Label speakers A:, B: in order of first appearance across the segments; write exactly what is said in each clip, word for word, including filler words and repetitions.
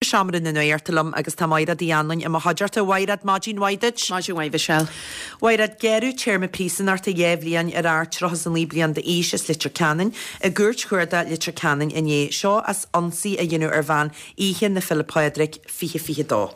A: Seomra na Nuachta liom agus tá Maighread Uí Anluain i mo chuideachta. Mhaighread, maidin mhaith duit.
B: Maidin mhaith, Michelle.
A: Mhaighread, gearradh téarma príosúnachta dhá bhliain ar fhear tríocha is a naoi bliain d'aois as Leitir Ceanainn i gCúirt Chuarda Leitir Ceanainn inné, seo as ionsaí a dhéanamh ar bhean oíche na Féile Pádraig fiche fiche dó.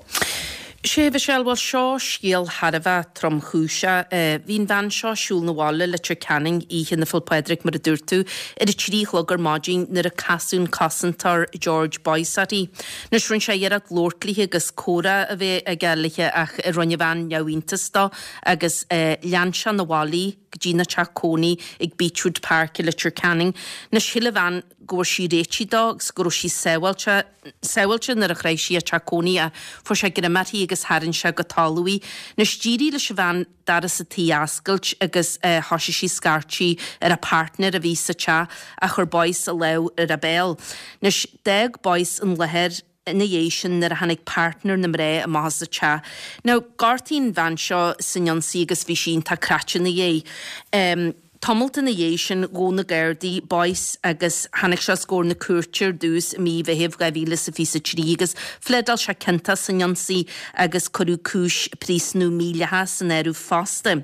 B: Sé Michelle, bhuel seo scéal thar a bheith tromchúiseach. Bhí an bhean seo ag siúl 'na bhaile Leitir Ceanainn oíche na Féile Pádraig mar a dúirt tú, ar a trí a chlog ar maidin nuair a casadh an cosantóir George Boyce uirthi. Anois rinne sé iarracht labhairt léi agus comhrá a bheith aige léi ach rinne an bhean neamhiontas dó agus lean sé 'na bhaile í go dtí na teach cónaí ag Beechwood Park i Leitir Ceanainn. Anois shíl an bhean go bhfuair sí réitithe dó agus go raibh sí sábháilte sábháilte nuair a shroich sí a teach cónaí ach fuair sé greim uirthi agus tharraing sé go talamh í. Anois d'éirigh leis an bhean doras an tí a oscailt agus thosaigh sí scairtigh ar a partner a bhí sa teach ach chuir Boyce a lámh ar a béal. Anois d'fhág Boyce an láthair ina dhiaidh sin nuair a tháinig partner na mná amach as an teach. Now gortaíodh an bhean seo san ionsaí agus bhí sí iontach cráite ina dhiaidh. Um, Tamalt ina dhiaidh sin ghabh na Gardaí Boyce agus tháinig sé os comhair na cúirte ar dtús i mí Mheithimh dhá mhíle is a fiche a trí agus phléadáil sé ciontach san ionsaí agus cuireadh cúis príosúnú mídhleathach san áireamh fosta.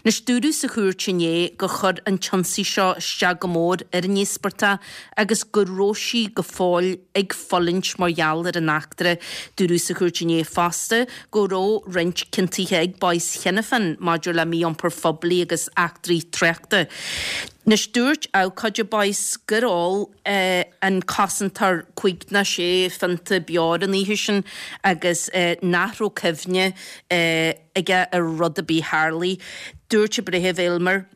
B: Anois dúradh sa chúirt inné gur chuir an t-ionsaí seo isteach go mór ar an íospartach agus go raibh sí go fóill ag fulaingt mar gheall ar an eachtra. Dúradh sa chúirt inné fosta go raibh roinnt ciontuithe ag Boyce cheana féin maidir le mí-iompar phoiblí agus eachtraí tráchta. Anois dúirt abhcóide Boyce gur ól an cosantóir cúig nó sé phionta beoir an oíche sin agus nach raibh cuimhne aige ar rud ar bith a tharlaigh. Dúirt an Breitheamh Aylmer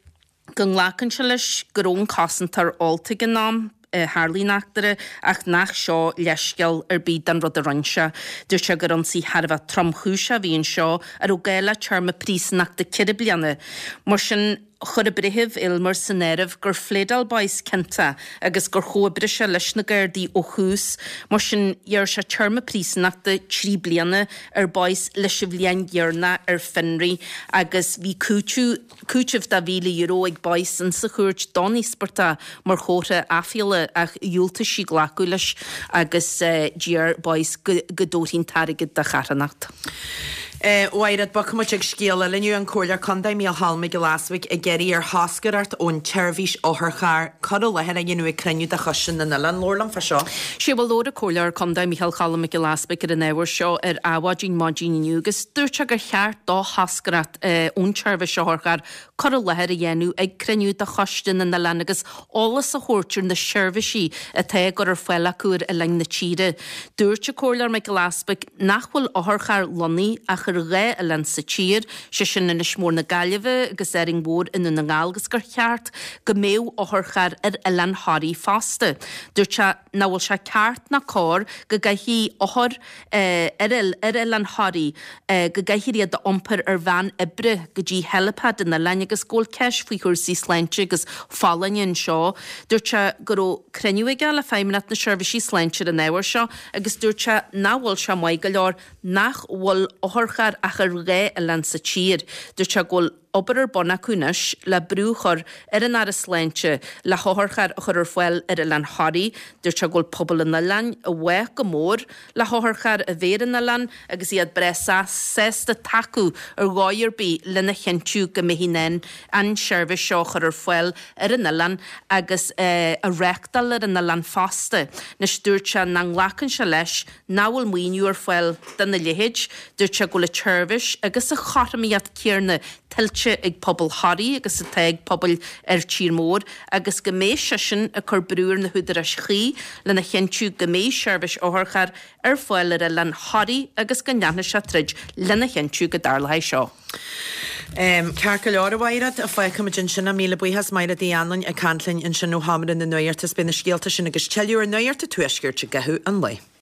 B: go nglacann sé leis go raibh an cosantóir ólta ag an am a tharlaigh an eachtra ach nach seo leithscéal ar bith don rud a rinne sé. Dúirt sé gur ionsaí thar a bheith tromchúiseach a bhí anseo a raibh gá le téarma príosúnachta ceithre bliana. Mar sin chuir an Breitheamh Aylmer san áireamh gur phléadáil Boyce ciontach agus gur chomhoibrigh sé leis na Gardaí ó thús. Mar sin ghearr sé téarma príosúnachta trí bliana ar Boyce leis an bhliain dheireanach ar fionraí agus bhí cúiteamh cúiteamh de mhíle euro ag Boyce insa chúirt don íospartach mar chomhartha aiféala ach dhiúltaigh sí glacadh leis agus d'iarr Boyce go go dtabharfaí an t-airgead do charthanacht.
A: Mhaighread, bogfaidh muid ag scéal eile inniu, an Comhairleoir Contae Mícheál Cholm Mac Giolla Easbuig ag iarraidh ar thoscaireacht ón tseirbhís otharcharr cur i láthair a dhéanamh ag cruinniú de Choiste na nOileán. Labhair liom fá seo.
B: Sé bhuel labhair an Comhairleoir Contae Mícheál Cholm Mac Giolla Easbuig ar an ábhar seo ar Adhmhaidin maidin inniu agus dúirt sé gur cheart do thoscaireacht ón tseirbhís otharcharr cur i láthair a dhéanamh ag cruinniú de Choiste na nOileán agus eolas a thabhairt ar na seirbhísí atá á gcur ar fáil acu ar oileáin na tíre. Dúirt an Comhairleoir Mac Giolla Easbuig nach bhfuil otharcharr lonnaithe ach ar dhá oileán sa tír, sé sin Inis Mór na Gaillimhe agus Árainn Mhór i nDún na nGall agus gur cheart go mbeadh otharcharr ar oileán Thoraí fosta. Dúirt sé nach bhfuil sé ceart ná cóir go gcaithfidh othair ar oileán Thoraí go gcaithfear iad a iompar ar veain oibre go dtí helipad an oileáin agus go bhfuil ceist faoi chúrsaí sláinte agus folláine anseo. Dúirt sé go raibh cruinniú aige le Feidhmeannacht na Seirbhísí Sláinte ar an ábhar seo agus dúirt sé nach bhfuil sé maith go leor nach bhfuil otharcharr ach ar dhá oileán sa tír. Dúirt sé go bhfuil obair ar bun acu anois le brú a chur ar an Aire Sláinte le hotharcharr a chur ar fáil ar oileán Thoraí. Dúirt sé go bhfuil pobal an oileáin i bhfách go mór le hotharcharr a bheith ar an oileán agus iad breá sásta tacú ar dhóigh ar bith lena chinntiú go mbeifí in ann an tseirbhís seo a chur ar fáil ar an oileán agus a reáchtáil ar an oileán fosta. Anois dúirt sé nach nglacann sé leis nach bhfuil maoiniú ar fáil dona leithéid. Dúirt sé go bhfuil an tseirbhís agus a chothromaíocht céanna tuillte ag pobal Thoraí agus atá ag pobail ar tír mór agus go mbeidh seisean ag cur brú ar na húdaráis chuí lena chinntiú go mbeidh seirbhís otharchairr ar fáil ar oileán Thoraí agus go ndéanfaidh sé troid lena chinntiú go dtarlóidh seo.
A: Ceart go leor, a Mhaighread, fágfaimid ansin é. Míle buíochas, Maighread Uí Anluain ag caint linn ansin ó Sheomra na Nuachta. Beidh na scéalta sin agus tuilleadh ar Nuacht an Tuaiscirt i gcaitheamh an lae.